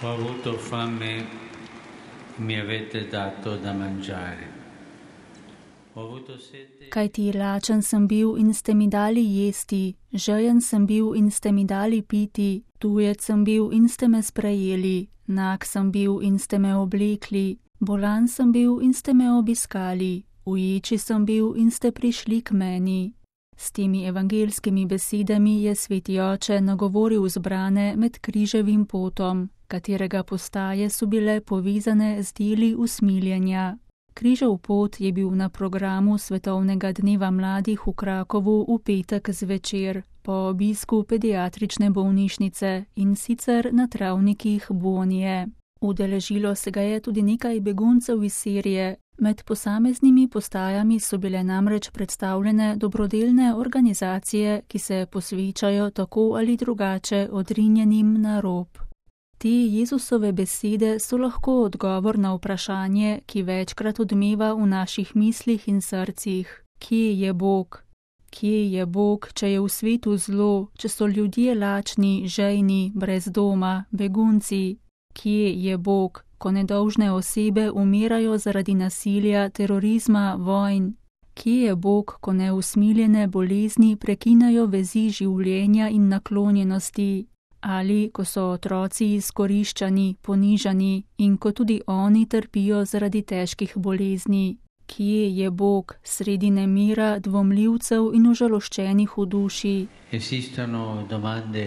Ho avuto fame, mi avete dato da mangiare. Ho avuto sete. Kajti lačen sem bil in ste mi dali jesti, žejen sem bil in ste mi dali piti, tujec sem bil in ste me sprejeli, nag sem bil in ste me oblekli, bolan sem bil in ste me obiskali, uječi sem bil in ste prišli k meni. S temi evangelskimi besedami je Sveti Oče nagovoril zbrane med križevim potom, katerega postaje so bile povezane z deli usmiljenja. Križev pot je bil na programu Svetovnega dneva mladih v Krakovu v petek zvečer po obisku pediatrične bolnišnice in sicer na travnikih Bonije. Udeležilo se ga je tudi nekaj beguncev iz Sirije. Med posameznimi postajami so bile namreč predstavljene dobrodelne organizacije, ki se posvečajo tako ali drugače odrinjenim na rob. Te Jezusove besede so lahko odgovor na vprašanje, ki večkrat odmeva v naših mislih in srcih. Kje je Bog? Kje je Bog, če je v svetu zlo, če so ljudje lačni, žejni, brez doma, begunci? Kje je Bog, ko nedolžne osebe umirajo zaradi nasilja, terorizma, vojn? Kje je Bog, ko neusmiljene bolezni prekinajo vezi življenja in naklonjenosti? Ali ko so otroci izkoriščani, ponižani in ko tudi oni trpijo zaradi težkih bolezni? Kje je Bog sredi nemira, dvomljivcev in užaloščenih v duši? Esistono domande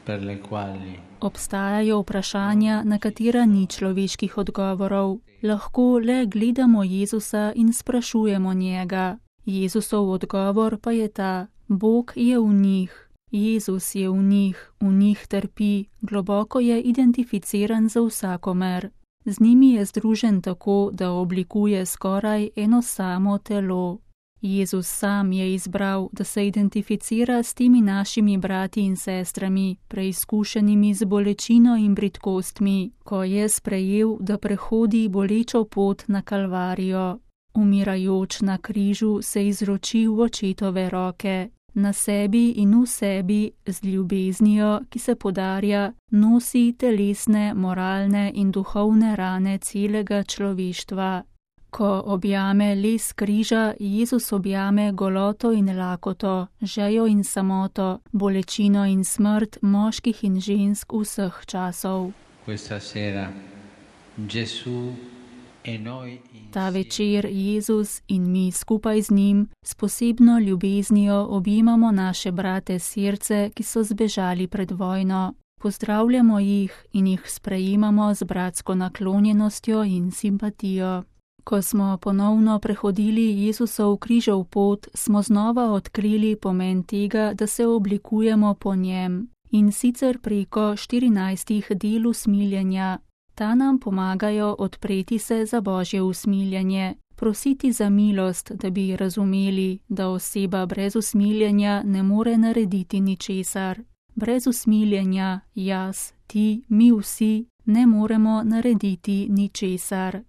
per le quali Obstajajo vprašanja, na katera ni človeških odgovorov. Lahko le gledamo Jezusa in sprašujemo njega. Jezusov odgovor pa je ta: Bog je v njih. Jezus je v njih trpi, globoko je identificiran za vsakomer. Z njimi je združen tako, da oblikuje skoraj eno samo telo. Jezus sam je izbral, da se identificira s temi našimi brati in sestrami, preizkušenimi z bolečino in bridkostmi, ko je sprejel, da prehodi bolečo pot na Kalvarijo. Umirajoč na križu se izroči v očetove roke. Na sebi in v sebi, z ljubeznijo, ki se podarja, nosi telesne, moralne in duhovne rane celega človeštva. Ko objame les križa, Jezus objame goloto in lakoto, žejo in samoto, bolečino in smrt moških in žensk vseh časov. Ta večer Jezus in mi skupaj z njim s posebno ljubeznijo objemamo naše brate Sirce, ki so zbežali pred vojno. Pozdravljamo jih in jih sprejemamo z bratsko naklonjenostjo in simpatijo. Ko smo ponovno prehodili Jezusov križev pot, smo znova odkrili pomen tega, da se oblikujemo po njem, in sicer preko 14 del usmiljenja. Ta nam pomagajo odpreti se za Božje usmiljenje, prositi za milost, da bi razumeli, da oseba brez usmiljenja ne more narediti ničesar. Brez usmiljenja, jaz, ti, mi vsi, ne moremo narediti ničesar.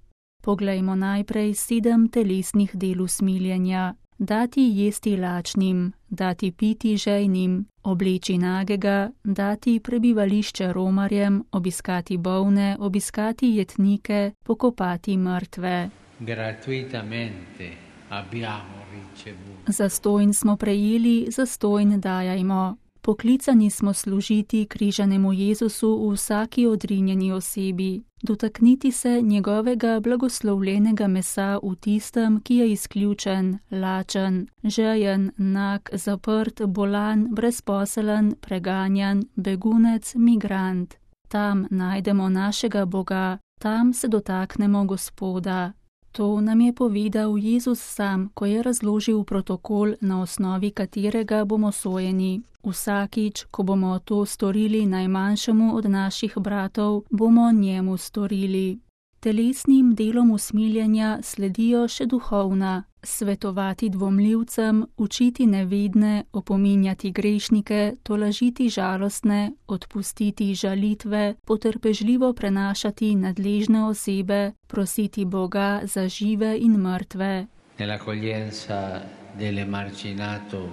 Poglejmo najprej 7 telesnih del usmiljenja. Dati jesti lačnim, dati piti žejnim, obleči nagega, dati prebivališče romarjem, obiskati bolne, obiskati jetnike, pokopati mrtve. Gratuitamente abbiamo ricevuto. Zastonj smo prejeli, zastonj dajajmo. Poklicani smo služiti križanemu Jezusu v vsaki odrinjeni osebi, dotakniti se njegovega blagoslovljenega mesa v tistem, ki je izključen, lačen, žejen, nag, zaprt, bolan, brezposelen, preganjan, begunec, migrant. Tam najdemo našega Boga, tam se dotaknemo Gospoda. To nam je povedal Jezus sam, ko je razložil protokol, na osnovi katerega bomo sojeni. Vsakič, ko bomo to storili najmanjšemu od naših bratov, bomo njemu storili. Telesnim delom usmiljenja sledijo še duhovna: svetovati dvomljivcem, učiti nevedne, opominjati grešnike, tolažiti žalostne, odpustiti žalitve, potrpežljivo prenašati nadležne osebe, prositi Boga za žive in mrtve. Nell'accoglienza dell'emarginato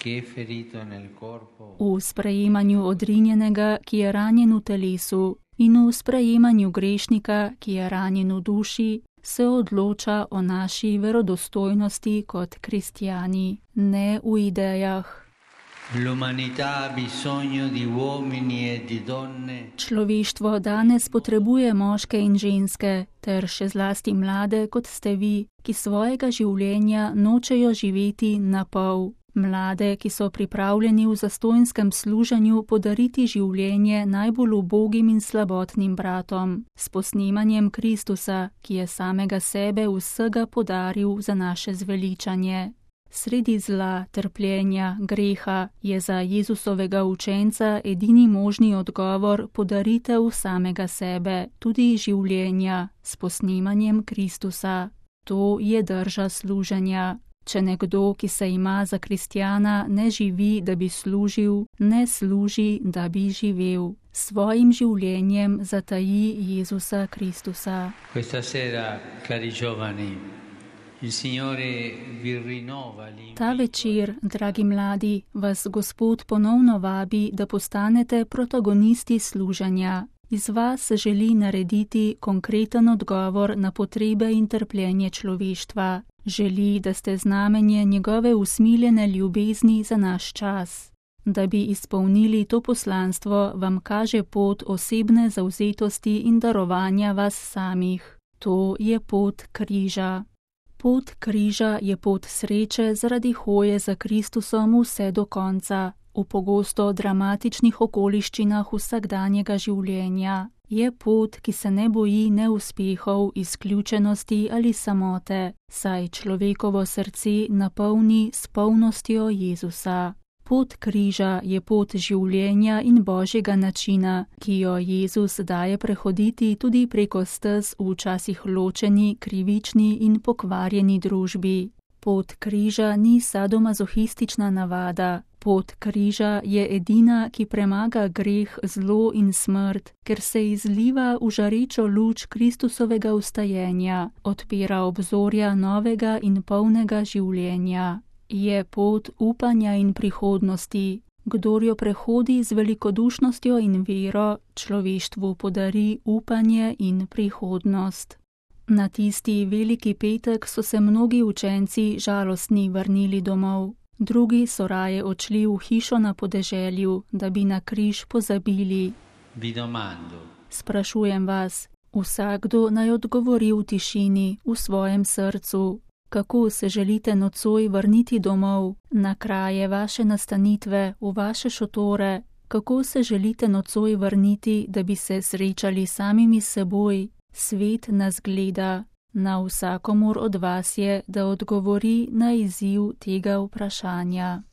che è ferito nel corpo, v sprejemanju odrinjenega, ki je ranjen v telesu, in v sprejemanju grešnika, ki je ranjen v duši, se odloča o naši verodostojnosti kot kristjani, ne v idejah. L'umanità ha bisogno di uomini e di donne Človeštvo danes potrebuje moške in ženske, ter še zlasti mlade, kot ste vi, ki svojega življenja nočejo živeti na pol. Mlade, ki so pripravljeni v zastojnskem služenju podariti življenje najbolj ubogim in slabotnim bratom, s posnemanjem Kristusa, ki je samega sebe vsega podaril za naše zveličanje. Sredi zla, trpljenja, greha je za Jezusovega učenca edini možni odgovor podaritev samega sebe, tudi življenja, s posnemanjem Kristusa. To je drža služenja. Če nekdo, ki se ima za kristjana, ne živi, da bi služil, ne služi, da bi živel. Svojim življenjem zataji Jezusa Kristusa. Questa sera, cari giovani, il Signore vi rinnova Ta večer, dragi mladi, vas Gospod ponovno vabi, da postanete protagonisti služenja. Iz vas želi narediti konkreten odgovor na potrebe in trpljenje človeštva. Želi, da ste znamenje njegove usmiljene ljubezni za naš čas. Da bi izpolnili to poslanstvo, vam kaže pot osebne zavzetosti in darovanja vas samih. To je pot križa. Pot križa je pot sreče zaradi hoje za Kristusom vse do konca, v pogosto dramatičnih okoliščinah vsakdanjega življenja. Je pot, ki se ne boji neuspehov, izključenosti ali samote, saj človekovo srce napolni s polnostjo Jezusa. Pot križa je pot življenja in božjega načina, ki jo Jezus daje prehoditi tudi preko stez v včasih ločeni, krivični in pokvarjeni družbi. Pot križa ni sadomazohistična navada. Pot križa je edina, ki premaga greh, zlo in smrt, ker se izliva v žarečo luč Kristusovega vstajenja, odpira obzorja novega in polnega življenja. Je pot upanja in prihodnosti. Kdor jo prehodi z velikodušnostjo in vero, človeštvu podari upanje in prihodnost. Na tisti veliki petek so se mnogi učenci žalostni vrnili domov. Drugi so raje odšli v hišo na podeželju, da bi na križ pozabili. Vi domando. Sprašujem vas, vsakdo naj odgovori v tišini, v svojem srcu, kako se želite nocoj vrniti domov, na kraje vaše nastanitve, v vaše šotore, kako se želite nocoj vrniti, da bi se srečali samimi seboj. Svet nas gleda. Na vsakomur od vas je, da odgovori na izziv tega vprašanja.